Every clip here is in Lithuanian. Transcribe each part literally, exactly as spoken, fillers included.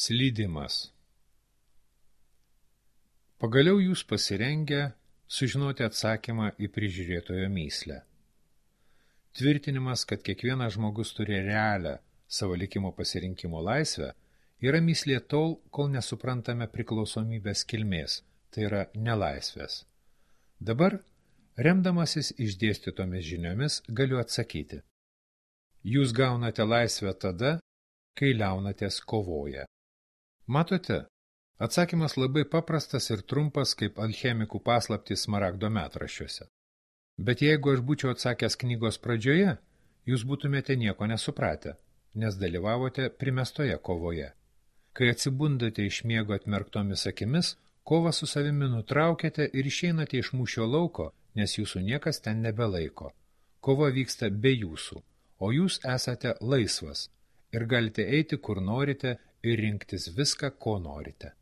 Slydimas. Pagaliau jūs pasirengę sužinoti atsakymą į prižiūrėtojo mįslę. Tvirtinimas, kad kiekvienas žmogus turi realią savo likimo pasirinkimo laisvę, yra mįslė tol, kol nesuprantame priklausomybės kilmės, tai yra nelaisvės. Dabar, remdamasis išdėstytomis žiniomis, galiu atsakyti. Jūs gaunate laisvę tada, kai liaunatės kovoje. Matote, atsakymas labai paprastas ir trumpas kaip alchemikų paslaptys smaragdo metraščiuose. Bet jeigu aš būčiau atsakęs knygos pradžioje, jūs būtumėte nieko nesupratę, nes dalyvavote primestoje kovoje. Kai atsibundate iš miego atmerktomis akimis, kovą su savimi nutraukėte ir išeinate iš mūšio lauko, nes jūsų niekas ten nebelaiko. Kova vyksta be jūsų, o jūs esate laisvas ir galite eiti, kur norite ir rinktis viską, ko norite.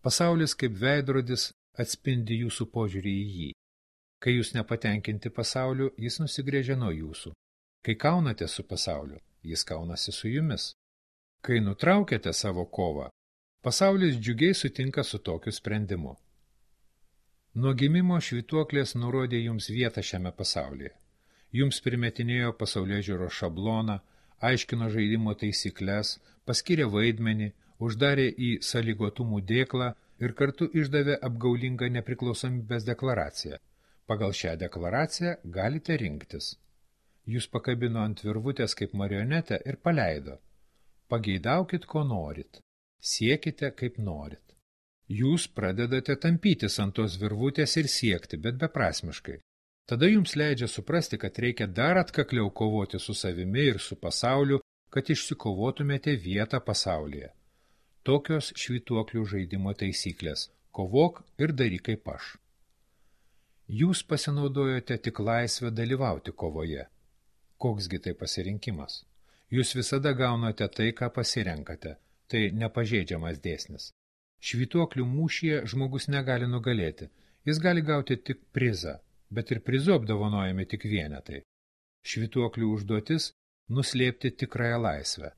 Pasaulis kaip veidrodis atspindi jūsų požiūrį į jį. Kai jūs nepatenkinti pasauliu, jis nusigrėžia nuo jūsų. Kai kaunate su pasauliu, jis kaunasi su jumis. Kai nutraukiate savo kovą, pasaulis džiugiai sutinka su tokiu sprendimu. Nuo gimimo švytuoklės nurodė jums vietą šiame pasaulyje. Jums primetinėjo pasaulėžiūros šabloną, aiškino žaidimo taisyklės, paskyrė vaidmenį, uždarė į sąlygotumų dėklą ir kartu išdavė apgaulingą nepriklausomybės deklaraciją. Pagal šią deklaraciją galite rinktis. Jūs pakabino ant virvutės kaip marionetę ir paleido. Pageidaukit, ko norit. Siekite, kaip norit. Jūs pradedate tampytis ant tos virvutės ir siekti, bet beprasmiškai. Tada jums leidžia suprasti, kad reikia dar atkakliau kovoti su savimi ir su pasauliu, kad išsikovotumėte vietą pasaulyje. Tokios švytuoklių žaidimo taisyklės. Kovok ir daryk kaip aš. Jūs pasinaudojote tik laisvę dalyvauti kovoje. Koksgi tai pasirinkimas? Jūs visada gaunate tai, ką pasirenkate. Tai nepažeidžiamas dėsnis. Švytuoklių mūšyje žmogus negali nugalėti. Jis gali gauti tik prizą. Bet ir prizu apdovanojami tik vienetai. Švytuoklių užduotis – nuslėpti tikrąją laisvę.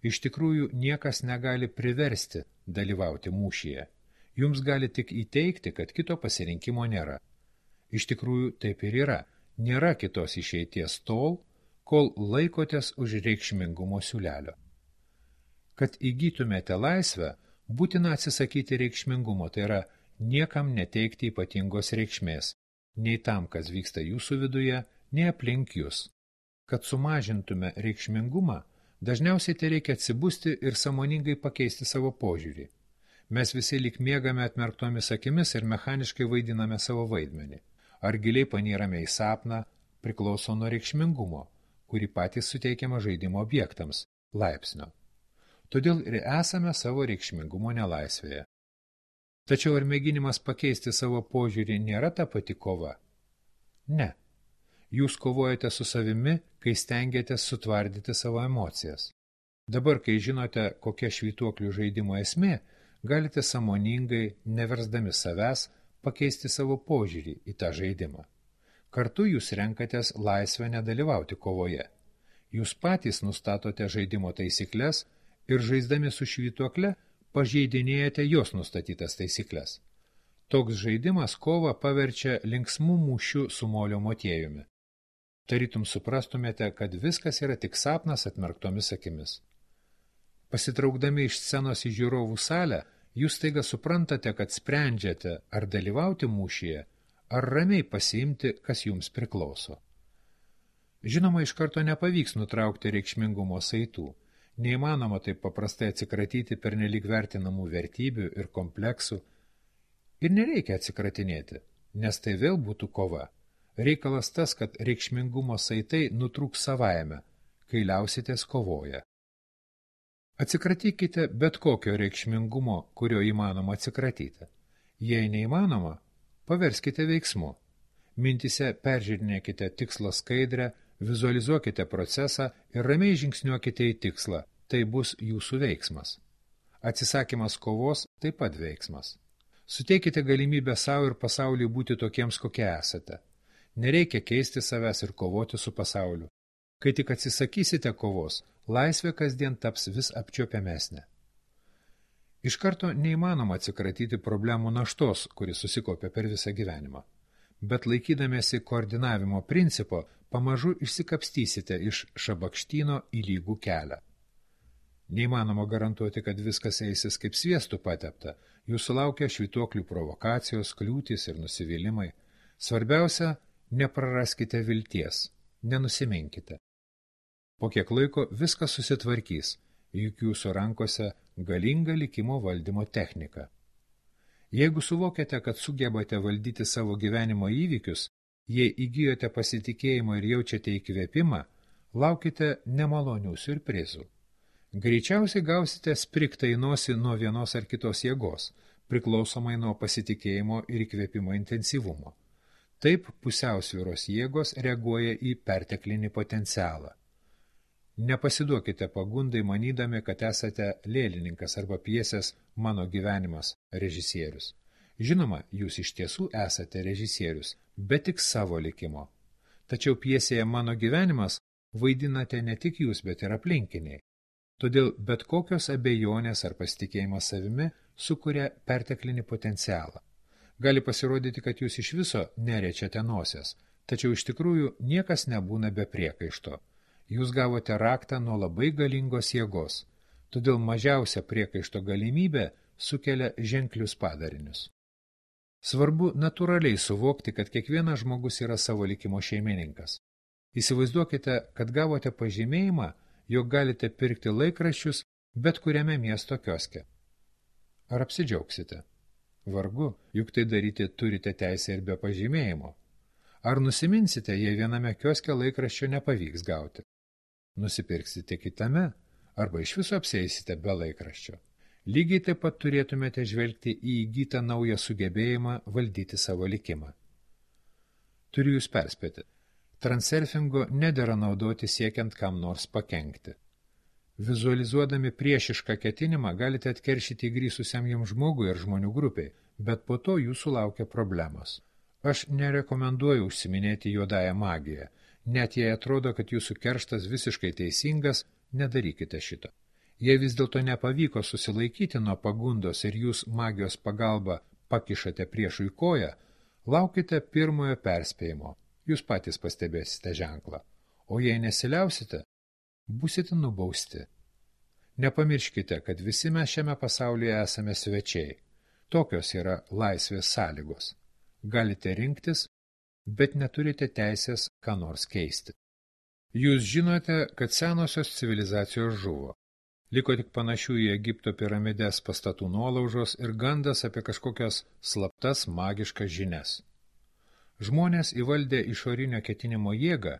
Iš tikrųjų, niekas negali priversti dalyvauti mūšyje. Jums gali tik įteikti, kad kito pasirinkimo nėra. Iš tikrųjų, taip ir yra. Nėra kitos išeities tol, kol laikotės už reikšmingumo siūlelio. Kad įgytumėte laisvę, būtina atsisakyti reikšmingumo, tai yra niekam neteikti ypatingos reikšmės. Nei tam, kas vyksta jūsų viduje, nei aplink jūs. Kad sumažintume reikšmingumą, dažniausiai tai reikia atsibusti ir sąmoningai pakeisti savo požiūrį. Mes visi lyg miegame atmerktomis akimis ir mechaniškai vaidiname savo vaidmenį. Ar giliai panyrame į sapną, priklauso nuo reikšmingumo, kurį patys suteikiama žaidimo objektams, laipsnio. Todėl ir esame savo reikšmingumo nelaisvėje. Tačiau ar mėginimas pakeisti savo požiūrį nėra ta pati kova? Ne. Jūs kovojate su savimi, kai stengiatės sutvardyti savo emocijas. Dabar, kai žinote, kokia švytuoklių žaidimo esmė, galite sąmoningai, neversdami savęs, pakeisti savo požiūrį į tą žaidimą. Kartu jūs renkatės laisvę nedalyvauti kovoje. Jūs patys nustatote žaidimo taisyklės ir žaisdami su švytuokle, pažeidinėjate jos nustatytas taisyklės. Toks žaidimas kovą paverčia linksmų mūšių su molio motiejumi. Tarytum suprastumėte, kad viskas yra tik sapnas atmerktomis akimis. Pasitraukdami iš scenos į žiūrovų salę, jūs staiga suprantate, kad sprendžiate, ar dalyvauti mūšyje, ar ramiai pasiimti, kas jums priklauso. Žinoma, iš karto nepavyks nutraukti reikšmingumo saitų. Neįmanoma taip paprastai atsikratyti pernelyg vertinamų vertybių ir kompleksų. Ir nereikia atsikratinėti, nes tai vėl būtų kova. Reikalas tas, kad reikšmingumo saitai nutrūks savaime, kai liausitės kovoje. Atsikratykite bet kokio reikšmingumo, kurio įmanoma atsikratyti. Jei neįmanoma, paverskite veiksmu. Mintise peržiūrinėkite tikslo skaidrę, vizualizuokite procesą ir ramiai žingsniuokite į tikslą. Tai bus jūsų veiksmas. Atsisakymas kovos taip pat veiksmas. Suteikite galimybę savo ir pasauliui būti tokiems, kokie esate. Nereikia keisti savęs ir kovoti su pasauliu. Kai tik atsisakysite kovos, laisvė kasdien taps vis apčiuopiamesnė. Iš karto neįmanoma atsikratyti problemų naštos, kuris susikaupė per visą gyvenimą. Bet laikydamėsi koordinavimo principo, pamažu išsikapstysite iš šabakštyno į lygų kelią. Neįmanoma garantuoti, kad viskas eisis kaip sviestų patepta. Jūsų laukia švytuoklių provokacijos, kliūtys ir nusivylimai. Svarbiausia, nepraraskite vilties, nenusiminkite. Po kiek laiko viskas susitvarkys, juk jūsų rankose galinga likimo valdymo technika. Jeigu suvokiate, kad sugebate valdyti savo gyvenimo įvykius, jei įgijote pasitikėjimo ir jaučiate įkvėpimą, laukite nemalonių siurprizų. Greičiausiai gausite spriktą į nosį nuo vienos ar kitos jėgos, priklausomai nuo pasitikėjimo ir įkvėpimo intensyvumo. Taip pusiausvyros jėgos reaguoja į perteklinį potencialą. Nepasiduokite pagundai manydami, kad esate lėlininkas arba pjesės Mano gyvenimas režisierius. Žinoma, jūs iš tiesų esate režisierius, bet tik savo likimo. Tačiau pjesėje Mano gyvenimas vaidinate ne tik jūs, bet ir aplinkiniai. Todėl bet kokios abejonės ar pasitikėjimas savimi sukuria perteklinį potencialą. Gali pasirodyti, kad jūs iš viso nerečiate nosies, tačiau iš tikrųjų niekas nebūna be priekaišto. Jūs gavote raktą nuo labai galingos jėgos, todėl mažiausia priekaišto galimybė sukelia ženklius padarinius. Svarbu natūraliai suvokti, kad kiekvienas žmogus yra savo likimo šeimininkas. Įsivaizduokite, kad gavote pažymėjimą, jog galite pirkti laikraščius bet kuriame miesto kioske. Ar apsidžiaugsite? Vargu, juk tai daryti turite teisę ir be pažymėjimo. Ar nusiminsite, jei viename kioske laikraščio nepavyks gauti? Nusipirksite kitame, arba iš viso apsieisite be laikraščio. Lygiai taip pat turėtumėte žvelgti į įgytą naują sugebėjimą valdyti savo likimą. Turiu jūs perspėti. Transurfingo nedera naudoti siekiant kam nors pakenkti. Vizualizuodami priešišką ketinimą galite atkeršyti įgrįsusiam jums žmogui ir žmonių grupiai, bet po to jūsų laukia problemos. Aš nerekomenduoju užsiminėti juodąją magiją. Net jei atrodo, kad jūsų kerštas visiškai teisingas, nedarykite šito. Jei vis dėlto nepavyko susilaikyti nuo pagundos ir jūs magijos pagalba pakišate priešui koją, laukite pirmojo perspėjimo. Jūs patys pastebėsite ženklą. O jei nesiliausite, būsite nubausti. Nepamirškite, kad visi mes šiame pasaulyje esame svečiai. Tokios yra laisvės sąlygos. Galite rinktis, bet neturite teisės ką nors keisti. Jūs žinote, kad senosios civilizacijos žuvo. Liko tik panašių į Egipto piramidės pastatų nuolaužos ir gandas apie kažkokias slaptas magiškas žinias. Žmonės įvaldę išorinio ketinimo jėgą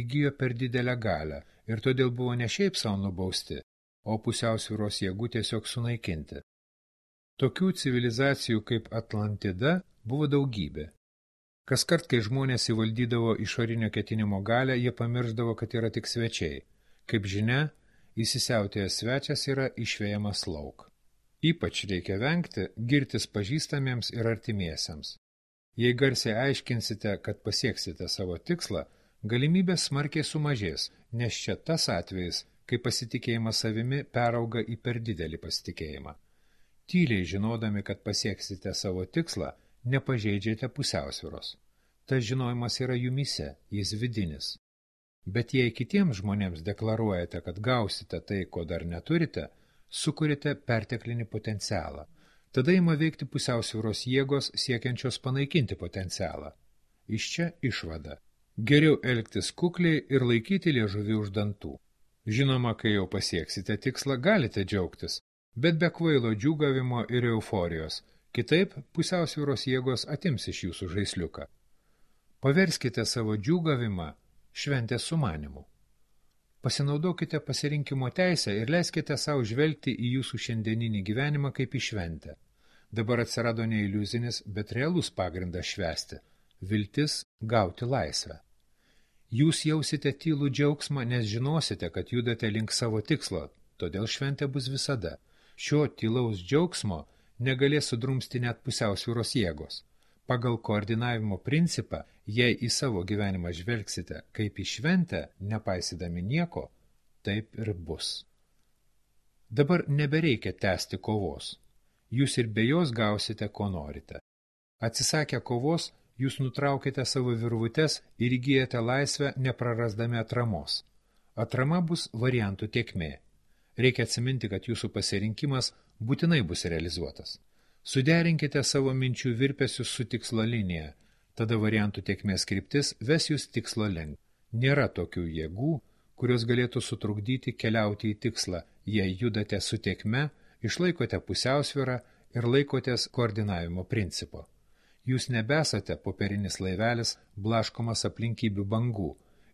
įgijo per didelę galią ir todėl buvo ne šiaip savo nubausti, o pusiausvyros jėgų tiesiog sunaikinti. Tokių civilizacijų kaip Atlantida buvo daugybė. Kaskart, kai žmonės įvaldydavo išorinio ketinimo galią, jie pamirždavo, kad yra tik svečiai. Kaip žinia, įsisiautėjęs svečias yra išvejamas lauk. Ypač reikia vengti girtis pažįstamiems ir artimiesiems. Jei garsiai aiškinsite, kad pasieksite savo tikslą, galimybės smarkiai sumažės, nes čia tas atvejis, kai pasitikėjimas savimi perauga į per didelį pasitikėjimą. Tyliai žinodami, kad pasieksite savo tikslą, nepažeidžiate pusiausvyros. Tas žinojimas yra jumise, jis vidinis. Bet jei kitiems žmonėms deklaruojate, kad gausite tai, ko dar neturite, sukuriate perteklinį potencialą. Tada ima veikti pusiausvyros jėgos siekiančios panaikinti potencialą. Iš čia išvada. Geriau elgtis kukliai ir laikyti liežuvį už dantų. Žinoma, kai jau pasieksite tikslą, galite džiaugtis, bet be kvailo džiūgavimo ir euforijos. Kitaip pusiausvyros jėgos atims iš jūsų žaisliuką. Paverskite savo džiūgavimą šventės sumanimu. Pasinaudokite pasirinkimo teisę ir leiskite savo žvelgti į jūsų šiandieninį gyvenimą kaip į šventę. Dabar atsirado ne iliuzinis, bet realus pagrindas švęsti – viltis gauti laisvę. Jūs jausite tylų džiaugsmą, nes žinosite, kad judate link savo tikslo, todėl šventė bus visada. Šio tylaus džiaugsmo negalės sudrumsti net pusiausvyros jėgos. Pagal koordinavimo principą, jei į savo gyvenimą žvelgsite kaip į šventę, nepaisydami nieko, taip ir bus. Dabar nebereikia tęsti kovos. Jūs ir be jos gausite, ko norite. Atsisakę kovos, jūs nutraukite savo virvutes ir įgyjate laisvę neprarasdami atramos. Atrama bus variantų tėkmė. Reikia atsiminti, kad jūsų pasirinkimas būtinai bus realizuotas. Suderinkite savo minčių virpesius su tikslo linija, tada variantų tėkmės kryptis ves jūs tikslo link. Nėra tokių jėgų, kurios galėtų sutrukdyti keliauti į tikslą, jei judate su tėkme, išlaikote pusiausvyrą ir laikotės koordinavimo principo. Jūs nebesate popierinis laivelis blaškomas aplinkybių bangų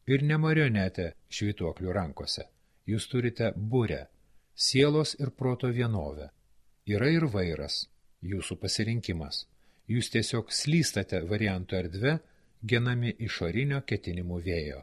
ir ne marionetė švytuoklių rankose. Jūs turite burę, sielos ir proto vienovę. Yra ir vairas, jūsų pasirinkimas. Jūs tiesiog slystate variantų erdve, genami išorinio ketinimų vėjo.